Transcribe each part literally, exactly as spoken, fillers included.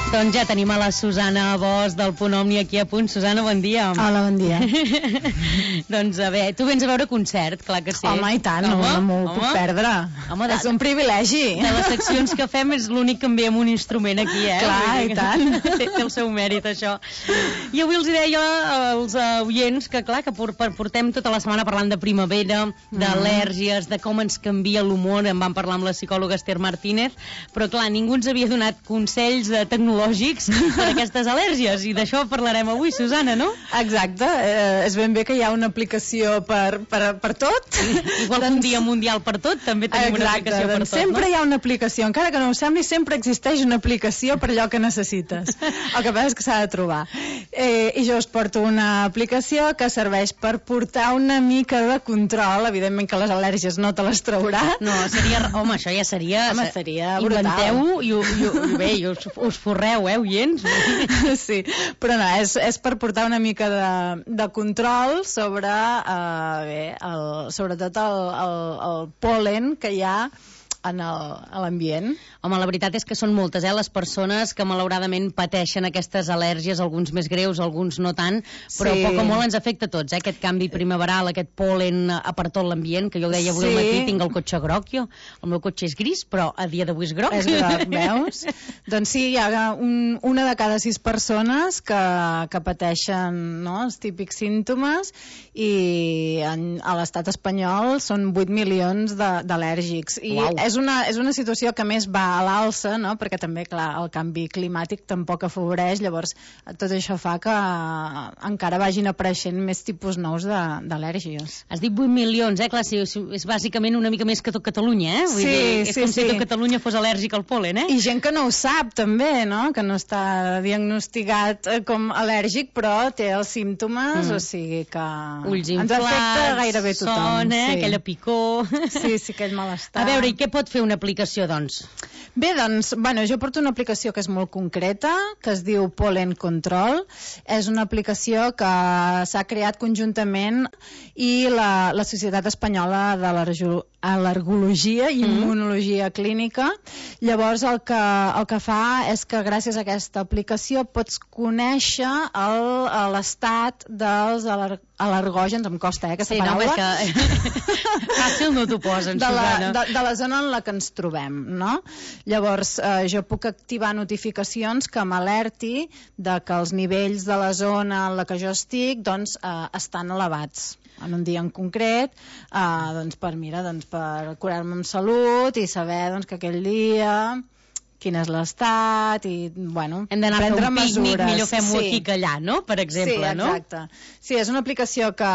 Doncs ja tenim a la Susana Bosch del Punt Omni aquí a punt. Susana, bon dia. Hola, bon dia. Doncs a veure, tu vens a veure concert, clar que sí. Home, i tant, home, no m'ho puc perdre. Home, és un privilegi. De les seccions que fem és l'únic que em ve amb un instrument aquí, eh? Clar, i tant. Té, té el seu mèrit, això. I avui els deia als oients que, clar, que portem tota la setmana parlant de primavera, d'al·lèrgies, de com ens canvia l'humor. En vam parlar amb la psicòloga Esther Martínez, però, clar, ningú ens havia donat consells de tecnologia per aquestes al·lèrgies, i d'això parlarem avui, Susana, no? Exacte, eh, és ben bé que hi ha una aplicació per, per, per tot. Igual doncs, un dia mundial per tot, també tenim exacte, una aplicació per tot, sempre no? Hi ha una aplicació, encara que no ho sembli, sempre existeix una aplicació per allò que necessites. El que passa és que s'ha de trobar. Eh, I jo us porto una aplicació que serveix per portar una mica de control, evidentment que les al·lèrgies no te les traurà. No, seria, home, això ja seria... Home, seria brutal. Inventeu-ho i, i, i bé, i us, us forreu, eh, oients? Sí, però no, és, és per portar una mica de, de control sobre, eh, bé, el, sobretot el, el, el pol·len que hi ha en l'ambient. Home, la veritat és que són moltes, eh, les persones que malauradament pateixen aquestes al·lèrgies, alguns més greus, alguns no tant, però sí. Poc o molt ens afecta a tots, eh, aquest canvi primaveral, aquest pol·len a per tot l'ambient, que jo ho deia avui sí. Al matí, tinc el cotxe groc, jo. El meu cotxe és gris, però a dia d'avui és groc. És groc, veus? Doncs sí, hi ha un, una de cada sis persones que, que pateixen, no?, els típics símptomes, i en, a l'estat espanyol són vuit milions d'al·lèrgics. I wow. és, una, és una situació que més va a l'alça, no?, perquè també, clar, el canvi climàtic tampoc afavoreix, llavors tot això fa que encara vagin apareixent més tipus nous d'al·lèrgies. Has dit vuit milions, eh? Clar, sí, és bàsicament una mica més que tot Catalunya, eh? Vull sí, dir, és sí, com sí. si tot Catalunya fos al·lèrgic al pol·len, eh? I gent que no ho sap, també, no?, que no està diagnosticat com al·lèrgic, però té els símptomes, mm. o sigui que ulls ens inflats, afecta gairebé tothom. Son, eh? Sí. Aquella picor. Sí, sí, aquell malestar. A veure, i què pot fer una aplicació, doncs? Bé, doncs, bueno, jo porto una aplicació que és molt concreta, que es diu Pollen Control. És una aplicació que s'ha creat conjuntament i la, la Societat Espanyola de l'Al·lergologia i Immunologia Clínica. Llavors, el que, el que fa és que gràcies a aquesta aplicació pots conèixer l'estat dels al·lergògens, em costa, eh, aquesta sí, paraula. No, que... fàcil no t'ho posen, de la, Susana. De, de la zona en la que ens trobem, no? Llavors, eh, jo puc activar notificacions que m'alerti de que els nivells de la zona en la que jo estic, doncs, eh, estan elevats en un dia en concret, eh, doncs, per, mira, doncs, per curar-me amb salut i saber, doncs, que aquell dia... quin és l'estat i, bueno, hem d'anar a fer un pícnic, millor fem-ho sí. aquí que allà, no? Per exemple, sí, no? exacte. Sí, és una aplicació que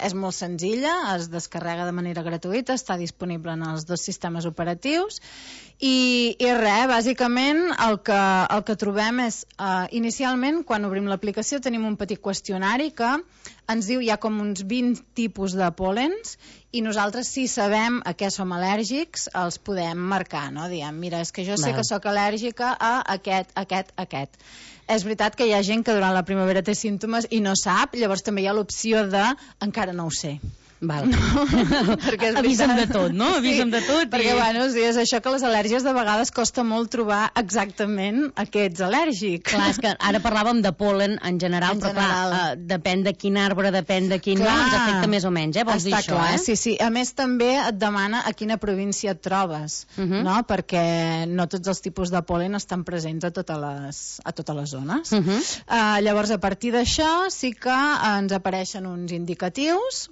és molt senzilla, es descarrega de manera gratuïta, està disponible en els dos sistemes operatius i, i res, bàsicament el que, el que trobem és, uh, inicialment, quan obrim l'aplicació tenim un petit qüestionari que ens diu hi ha com uns vint tipus de pol·lens i nosaltres, si sabem a què som al·lèrgics, els podem marcar, no? Diem, mira, és que jo sé Val. que sóc al·lèrgica a aquest, aquest, aquest. És veritat que hi ha gent que durant la primavera té símptomes i no sap, llavors també hi ha l'opció de encara no ho sé. Val. No, perquè és avisa'm veritat. de tot, no? Avisa'm sí, de tot. Perquè, I... bueno, sí, és això que les al·lèrgies de vegades costa molt trobar exactament a què ets al·lèrgic. Clar, és que ara parlàvem de pol·len en general, en però general. clar, uh, depèn de quin arbre, depèn de quin... Clar, no, ens afecta més o menys, eh? Vols està dir això, clar, eh? Sí, sí. A més, també et demana a quina província et trobes, uh -huh. no? Perquè no tots els tipus de pol·len estan presents a totes les, a totes les zones. Uh -huh. uh, llavors, a partir d'això, sí que ens apareixen uns indicatius,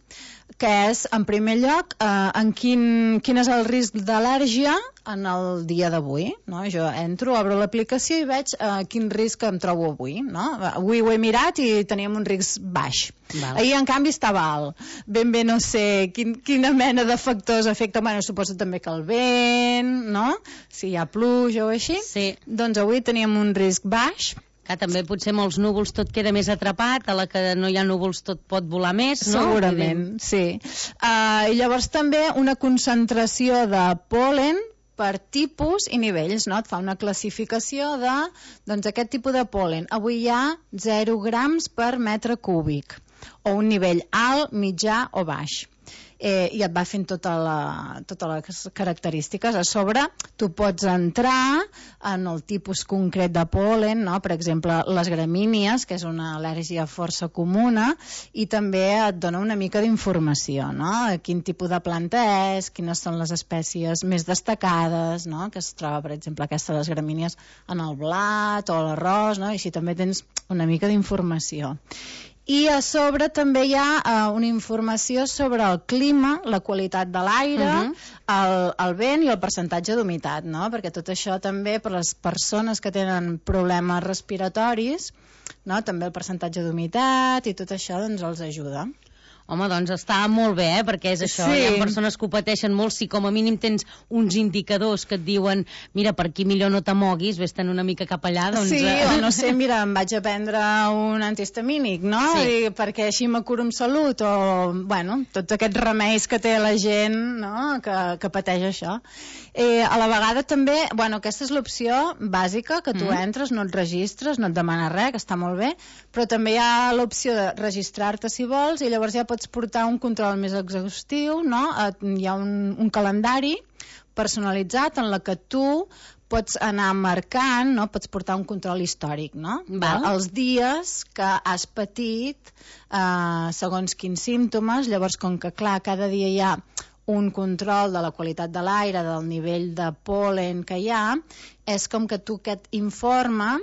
que és, en primer lloc, eh, en quin, quin és el risc d'al·lèrgia en el dia d'avui, no? Jo entro, obro l'aplicació i veig eh, quin risc em trobo avui, no? Avui ho he mirat i teníem un risc baix. Val. Ahir, en canvi, estava alt. Ben bé no sé quin, quina mena de factors afecten. Bueno, suposo també que el vent, no? Si hi ha pluja o així. Sí. Doncs avui teníem un risc baix. Que també potser molts núvols tot queda més atrapat, a la que no hi ha núvols tot pot volar més, no? Segurament, sí. Uh, I llavors també una concentració de pol·len per tipus i nivells, no? Et fa una classificació de, doncs, aquest tipus de pol·len. Avui hi ha zero grams per metre cúbic, o un nivell alt, mitjà o baix. eh, i et va fent tota la, totes les característiques. A sobre, tu pots entrar en el tipus concret de pol·len, no? Per exemple, les gramínies, que és una al·lèrgia força comuna, i també et dona una mica d'informació, no? Quin tipus de planta és, quines són les espècies més destacades, no? Que es troba, per exemple, aquesta de les gramínies en el blat o l'arròs, no? I així també tens una mica d'informació. I a sobre també hi ha uh, una informació sobre el clima, la qualitat de l'aire, uh-huh. el, el vent i el percentatge d'humitat, no? Perquè tot això també per les persones que tenen problemes respiratoris, no? També el percentatge d'humitat i tot això doncs els ajuda. Home, doncs està molt bé, eh? Perquè és això, sí. Hi ha persones que ho pateixen molt, si com a mínim tens uns indicadors que et diuen mira, per aquí millor no t'amoguis, vés-te'n una mica cap allà, doncs... Sí, o no sé, mira, em vaig a prendre un antihistamínic, no? Sí. I perquè així me curo amb salut, o, bueno, tots aquests remeis que té la gent, no?, que, que pateix això. Eh, a la vegada també, bueno, aquesta és l'opció bàsica, que tu mm. entres, no et registres, no et demana res, que està molt bé, però també hi ha l'opció de registrar-te si vols, i llavors ja pots portar un control més exhaustiu, no? Hi ha un, un calendari personalitzat en la que tu pots anar marcant, no? Pots portar un control històric, no? Val. Els dies que has patit eh, segons quins símptomes, llavors com que clar, cada dia hi ha un control de la qualitat de l'aire, del nivell de pol·len que hi ha, és com que tu aquest informe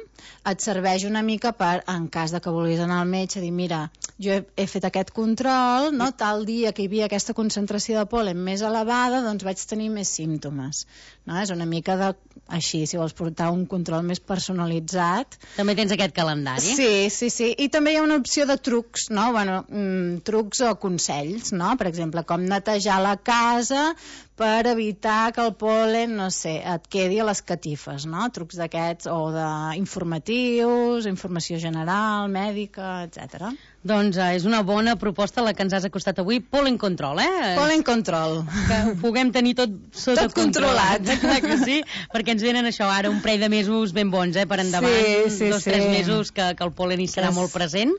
et serveix una mica per, en cas de que vulguis anar al metge, dir, mira, jo he, he fet aquest control, no? Tal dia que hi havia aquesta concentració de pol·len més elevada, doncs vaig tenir més símptomes. No? És una mica de, així, si vols portar un control més personalitzat. També tens aquest calendari? Sí, sí, sí. I també hi ha una opció de trucs, no? Bueno, mm, trucs o consells, no? Per exemple, com netejar la casa per evitar que el pol·len, no sé, et quedi a les catifes, no? Trucs d'aquests, o d'informatius, informació general, mèdica, etcètera. Doncs eh, és una bona proposta la que ens has acostat avui, Pollen Control, eh? Pollen Control. Que ho puguem tenir tot sota tot controlat. Clar que sí, perquè ens venen això ara un parell de mesos ben bons, eh? Per endavant, sí, sí, dos, sí. tres mesos que, que el pol·len hi serà molt present.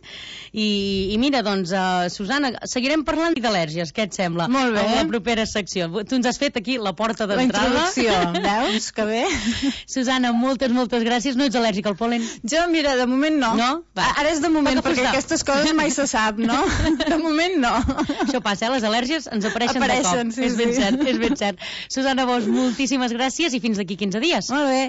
I, i mira, doncs, uh, Susana, seguirem parlant d'al·lèrgies, què et sembla? Molt bé. En la propera secció. Tu ens has fet aquí la porta d'entrada. La introducció, veus? Que bé. Susana, moltes, moltes gràcies. No ets al·lèrgica al pol·len? Jo, mira, de moment no. No? Va. Ara és de moment, perquè aquestes coses mai se sap, no? De moment no. Això passa, eh? Les al·lèrgies ens apareixen, apareixen de cop. Sí, és ben sí. cert, és ben cert. Susana Bosch, moltíssimes gràcies i fins d'aquí quinze dies. Molt bé.